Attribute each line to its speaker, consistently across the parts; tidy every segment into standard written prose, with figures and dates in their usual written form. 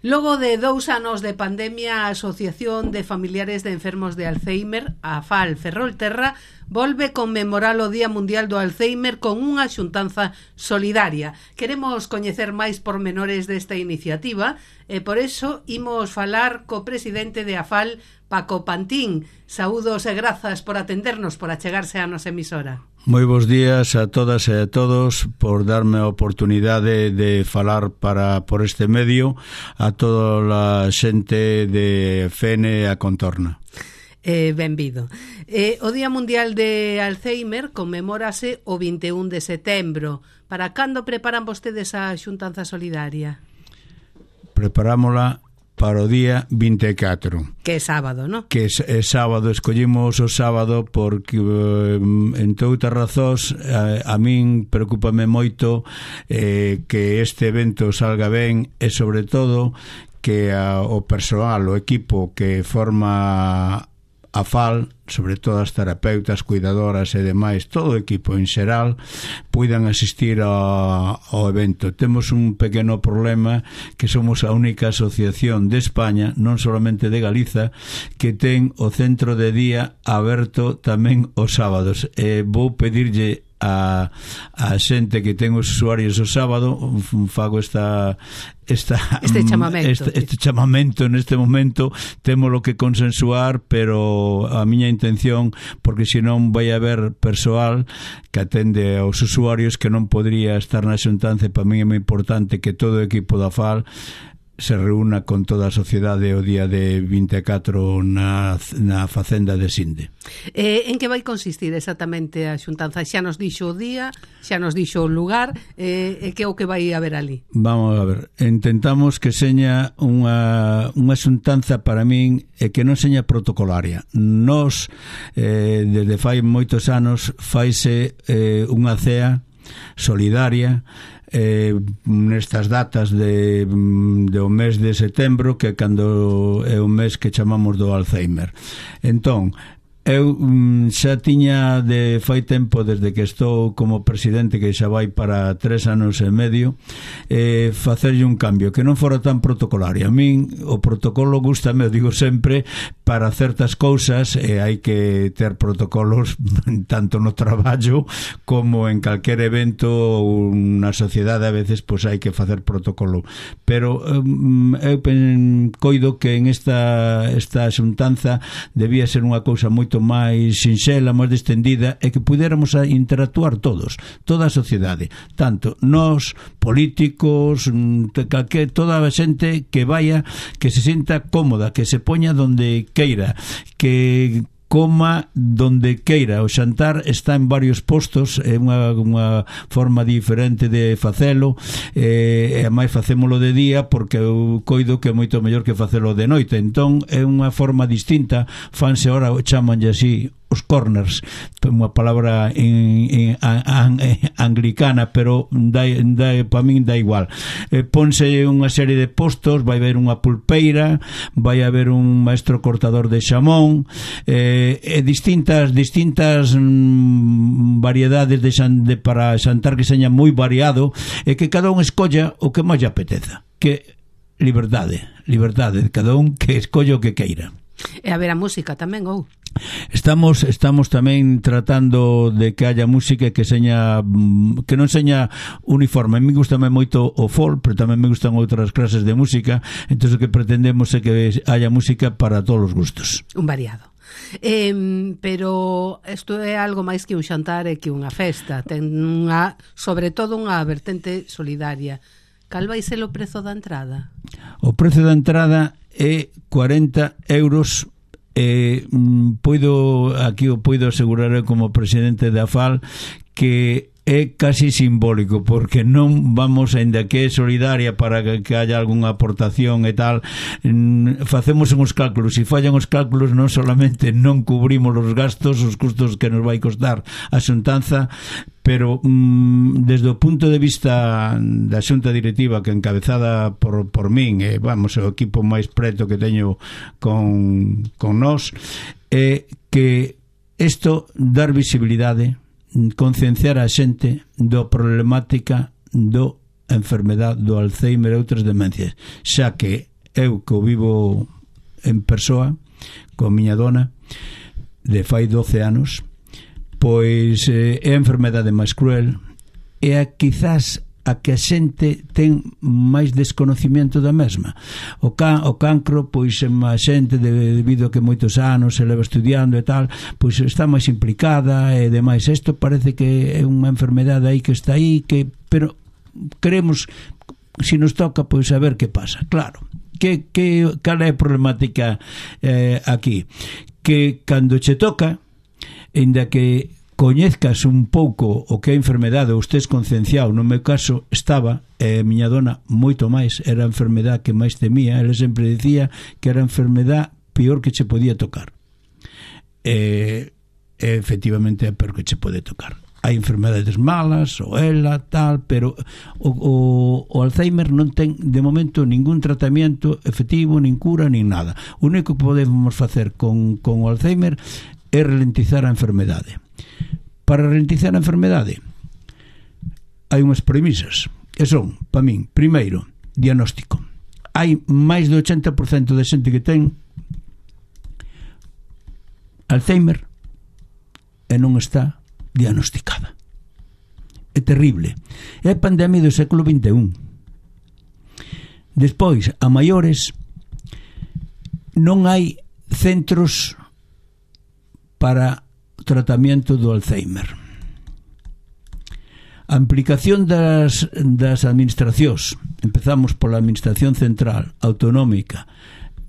Speaker 1: Logo de 2 anos de pandemia, a Asociación de Familiares de Enfermos de Alzheimer, a AFAL Ferrolterra, volve conmemorar o Día Mundial do Alzheimer con unha xuntanza solidaria. Queremos coñecer máis pormenores desta iniciativa e por eso imos falar co presidente de AFAL, Paco Pantín. Saúdos e grazas por atendernos, por achegarse á nosa emisora.
Speaker 2: Moi bons días a todas e a todos por darme a oportunidade de falar por este medio a toda a xente de Fene a contorna.
Speaker 1: Benvido. O Día Mundial de Alzheimer conmemórase o 21 de setembro. Para cando preparan vostedes a xuntanza solidaria?
Speaker 2: Preparámola para o día 24.
Speaker 1: Que é sábado, non?
Speaker 2: Que é sábado, escollimos o sábado porque, entre outras razóns, a min preocúpame moito que este evento salga ben e, sobre todo, que o persoal, o equipo que forma a FAL, sobre todo as terapeutas, cuidadoras e demais, todo o equipo en xeral, puidan asistir ao evento. Temos un pequeno problema, que somos a única asociación de España, non solamente de Galiza, que ten o centro de día aberto tamén os sábados. Vou pedirlle a xente que ten os usuarios o sábado, fago este chamamento neste momento. Temos lo que consensuar, pero a miña intención, porque senón vai haber persoal que atende aos usuarios que non podría estar na xuntanza. Para mí é moi importante que todo o equipo da FAL se reúna con toda a sociedade o día de 24 na facenda de Sinde.
Speaker 1: En que vai consistir exactamente a xuntanza? Xa nos dixo o día, xa nos dixo o lugar, e que é o que vai haber ali?
Speaker 2: Vamos a ver, intentamos que seña unha xuntanza, para min, e que non seña protocolaria. Nos, desde fai moitos anos, faise unha cea solidaria nestas datas do mes de setembro, que cando é o mes que chamamos do Alzheimer. Entón, eu xa tiña de fai tempo, desde que estou como presidente, que xa vai para 3 anos e medio, facerlle un cambio que non fora tan protocolario. A min o protocolo gústame, digo sempre, para certas cousas, hai que ter protocolos tanto no traballo como en calquer evento ou na sociedade. A veces pois hai que facer protocolo, pero eu coido que en esta xuntanza debía ser unha cousa moito máis sinxela, máis distendida, e que pudéramos interactuar todos, toda a sociedade, tanto nós, políticos, toda a xente que vaya, que se sinta cómoda, que se poña donde queira, que coma donde queira. O xantar está en varios postos, é unha forma diferente de facelo, e máis facémolo de día, porque eu coido que é moito mellor que facelo de noite. Entón é unha forma distinta. Fanse ahora, chamanlle así, os corners, unha palabra anglicana, pero para min dá igual. Ponse unha serie de postos, vai haber unha pulpeira, vai haber un maestro cortador de xamón, distintas variedades para xantar, que seña moi variado, e que cada un escolla o que máis lle apeteza, que liberdade de cada un, que escolla o que queira.
Speaker 1: E haberá música tamén, ou?
Speaker 2: Estamos tamén tratando de que haya música que non seña uniforme. A mí gustame moito o folk, pero tamén me gustan outras clases de música. Entón o que pretendemos é que haya música para todos os gustos.
Speaker 1: Un variado. Pero isto é algo máis que un xantar e que unha festa. Ten sobre todo unha vertente solidaria. Cal vai ser o prezo da entrada?
Speaker 2: O prezo da entrada é 40 euros. Poido asegurar como presidente da FAL que é casi simbólico, porque non vamos, ainda que é solidaria para que haya algunha aportación e tal, facemos uns cálculos, e fallan os cálculos, non solamente non cubrimos os gastos, os custos que nos vai costar a xuntanza, pero desde o punto de vista da xunta directiva, que encabezada por min, vamos, o equipo máis preto que teño con nós, é que isto dar visibilidade, concienciar a xente do problemática do enfermedade do Alzheimer e outras demencias, xa que eu que o vivo en persoa con miña dona de fai 12 anos, pois é a enfermedade máis cruel, é a quizás a que a xente ten máis desconocimiento da mesma. O cancro, pois a xente debido a que moitos anos se leva estudiando e tal, pois está máis implicada e demais. Isto parece que é unha enfermedade aí que está aí, pero queremos, se nos toca, pois a ver que pasa. Claro, cal é a problemática aquí? Que cando che toca, ainda que coñezcas un pouco o que é a enfermedade ou estés concienciado, no meu caso estaba, miña dona moito máis, era a enfermedade que máis temía, ela sempre dicía que era a enfermedade peor que che podía tocar, efectivamente é a peor que che pode tocar. Hai enfermedades malas, ou ela, tal, pero o Alzheimer non ten de momento ningún tratamento efectivo, nin cura, nin nada. O único que podemos facer con o Alzheimer é ralentizar a enfermedade. Para ralentizar a enfermedade hai unhas premisas que son, para min, primeiro, diagnóstico. Hai máis do 80% de xente que ten Alzheimer e non está diagnosticada. É terrible. É a pandemia do século XXI. Despois, a maiores, non hai centros para tratamento do Alzheimer. A implicación das administracións, empezamos pola administración central, autonómica,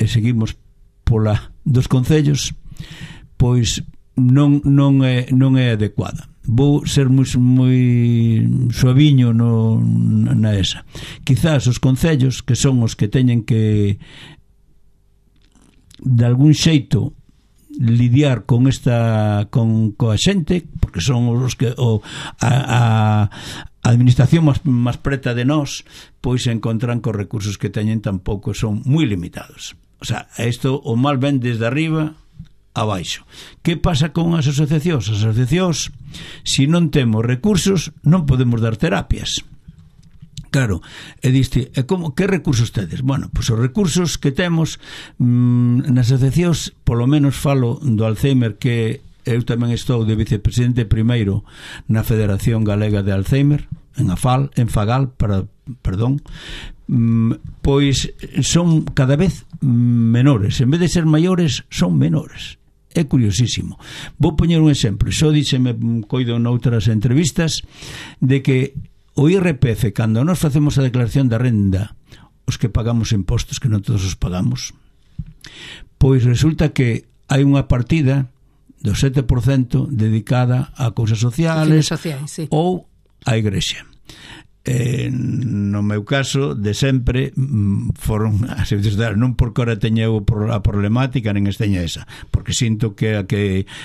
Speaker 2: e seguimos pola dos concellos, pois non é adecuada. Vou ser moi suaviño na esa. Quizás os concellos, que son os que teñen que de algún xeito lidiar con coa xente, porque son os que a administración máis preta de nós, pois se encontran cos recursos que teñen tampouco son moi limitados. O sea, isto o mal ven desde arriba abaixo. Que pasa con as asociacións? As asociacións, se non temos recursos, non podemos dar terapias. Claro, e diste, que recursos tedes? Bueno, pois os recursos que temos nas asociacións, polo menos falo do Alzheimer, que eu tamén estou de vicepresidente primeiro na Federación Galega de Alzheimer, en Fagal, pois son cada vez menores, en vez de ser maiores, son menores. É curiosísimo. Vou poñer un exemplo, xo díxeme, coido noutras entrevistas, de que o IRPF, cando nós facemos a declaración da renda, os que pagamos impostos, que non todos os pagamos, pois resulta que hai unha partida do 7% dedicada a cousas sociales,
Speaker 1: sí,
Speaker 2: ou a igrexa. No meu caso, de sempre foron as sociedades, non porque ora teña a problemática, nen esteña esa, porque sinto que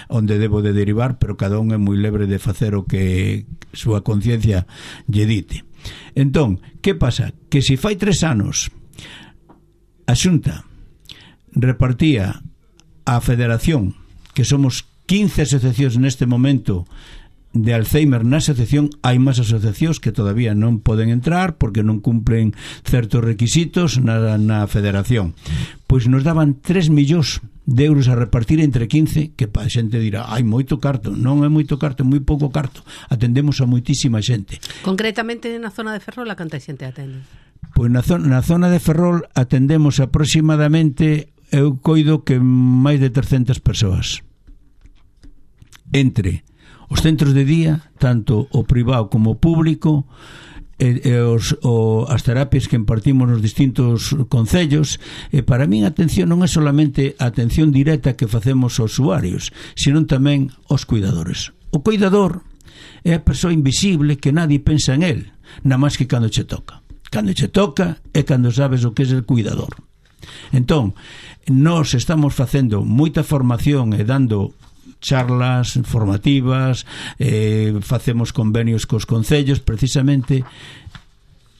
Speaker 2: onde debo de derivar, pero cada un é moi libre de facer o que súa conciencia lle dite. Entón, que pasa? Que se fai 3 anos a Xunta repartía a Federación, que somos 15 asociacións neste momento de Alzheimer na asociación, hai máis asociacións que todavía non poden entrar porque non cumplen certos requisitos na federación. Pois nos daban 3 millóns de euros a repartir entre 15, que a xente dirá, hai moito carto. Non é moito carto, é moi pouco carto. Atendemos a moitísima xente.
Speaker 1: Concretamente na zona de Ferrol, a canta xente atende?
Speaker 2: Pois na zona de Ferrol atendemos aproximadamente, eu coido que máis de 300 persoas. Entre os centros de día, tanto o privado como o público, as terapias que impartimos nos distintos concellos. E para min a atención non é solamente a atención directa que facemos aos usuarios, sino tamén aos cuidadores. O cuidador é a persoa invisible que nadie pensa en él, nada máis que cando che toca. Cando che toca é cando sabes o que é el cuidador. Entón, nós estamos facendo moita formación e dando charlas formativas, facemos convenios cos concellos precisamente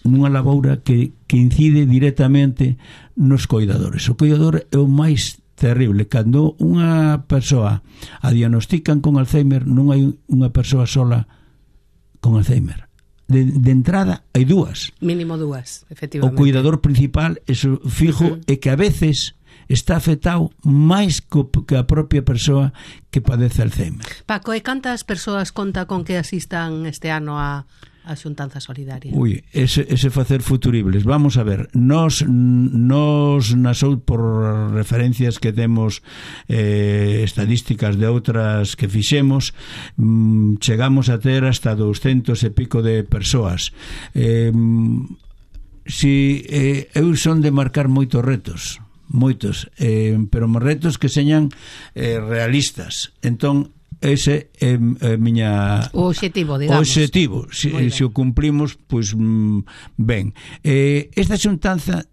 Speaker 2: nunha laboura que incide directamente nos cuidadores. O cuidador é o máis terrible. Cando unha persoa a diagnostican con Alzheimer, non hai unha persoa sola con Alzheimer. de entrada hai dúas.
Speaker 1: Mínimo dúas, efectivamente.
Speaker 2: O cuidador principal, eso fijo, é que a veces está afectado máis que a propia persoa que padece Alzheimer.
Speaker 1: Paco, e cantas persoas conta con que asistan este ano a xuntanza solidaria?
Speaker 2: Ui, ese facer futuribles. Vamos a ver, nos por referencias que temos estadísticas de outras que fixemos, chegamos a ter hasta 200 e pico de persoas. Eu son de marcar moitos retos, pero retos que señan realistas. Entón, ese é
Speaker 1: o obxectivo, digamos.
Speaker 2: O obxectivo, se o cumplimos, pois ben. Esta xuntanza,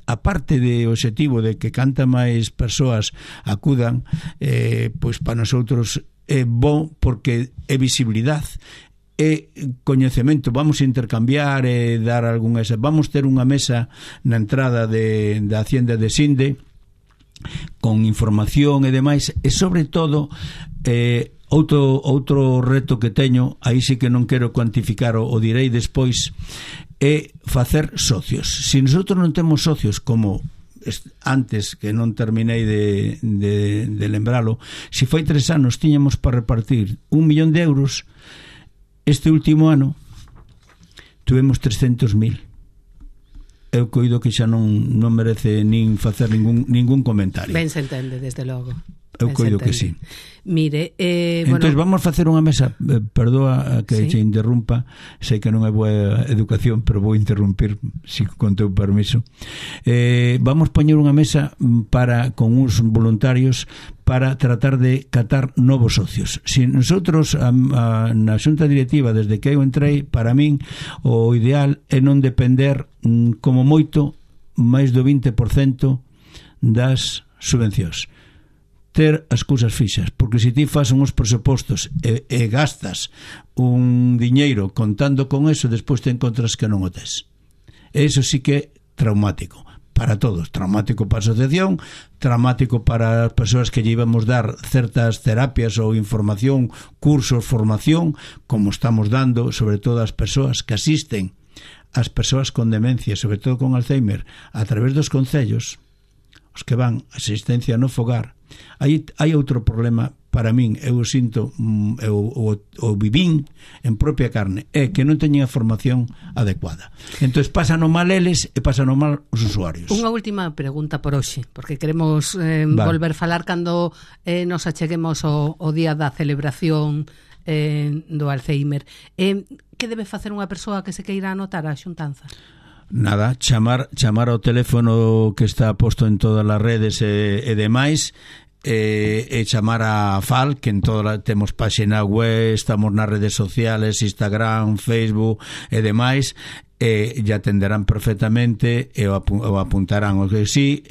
Speaker 2: aparte de obxectivo de que canta máis persoas acudan, pois para nosotros é bon porque é visibilidade, é coñecemento. Vamos a intercambiar e dar algunha... Vamos ter unha mesa na entrada da Hacienda de Sinde con información e demais, e sobre todo outro reto que teño, aí sí que non quero cuantificar, o direi despois, é facer socios. Se nosotros non temos socios, como antes, que non terminei de lembralo, se foi 3 anos tiñamos para repartir 1 millón de euros, este último ano tuvemos 300.000. Eu coido que xa non merece nin facer ningún comentario.
Speaker 1: Ben se entende, desde logo.
Speaker 2: Eu coido que sí.
Speaker 1: Mire,
Speaker 2: entón vamos facer unha mesa, perdoa que che interrumpa, sei que non é boa educación, pero vou interrumpir con teu permiso. Vamos poñer unha mesa con uns voluntarios para tratar de catar novos socios. Si nosotros na xunta directiva, desde que eu entrei, para min o ideal é non depender como moito máis do 20% das subvencións, ter as cousas fixas, porque se ti fas uns presupostos e gastas un diñeiro contando con eso, despois te encontras que non o tes. Eso sí que é traumático para todos, traumático para a asociación, traumático para as persoas que lle íbamos dar certas terapias ou información, cursos, formación, como estamos dando, sobre todo as persoas que asisten as persoas con demencia, sobre todo con Alzheimer, a través dos concellos, os que van a asistencia no fogar. Hai outro problema para min, eu sinto, o vivín en propia carne, é que non teñen a formación adecuada. Entón pasan o mal eles e pasan o mal os usuarios.
Speaker 1: Unha última pregunta por hoxe, porque queremos volver a falar cando nos acheguemos o día da celebración do Alzheimer. Que debe facer unha persoa que se queira anotar a xuntanza?
Speaker 2: Nada, chamar ao teléfono que está posto en todas as redes e demais, e chamar a FAL, que en toda temos páxina web, estamos nas redes sociales, Instagram, Facebook e demais, e ya atenderán perfectamente e o apuntarán. O que sí,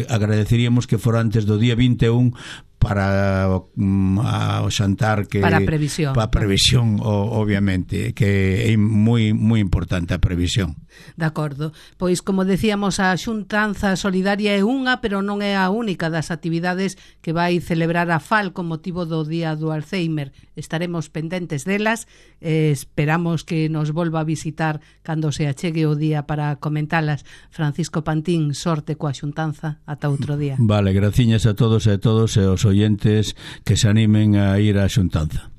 Speaker 2: agradeceríamos que fora antes do día 21 para o xantar, que
Speaker 1: para a previsión,
Speaker 2: obviamente, que é moi importante a previsión.
Speaker 1: De acordo. Pois, como decíamos, a xuntanza solidaria é unha, pero non é a única das actividades que vai celebrar a FAL con motivo do Día do Alzheimer. Estaremos pendentes delas, esperamos que nos volva a visitar cando se achegue o día para comentalas. Francisco Pantín, sorte coa xuntanza, ata outro día.
Speaker 2: Vale, graciñas a todos e a todos e aos oyentes que se animen a ir á xuntanza.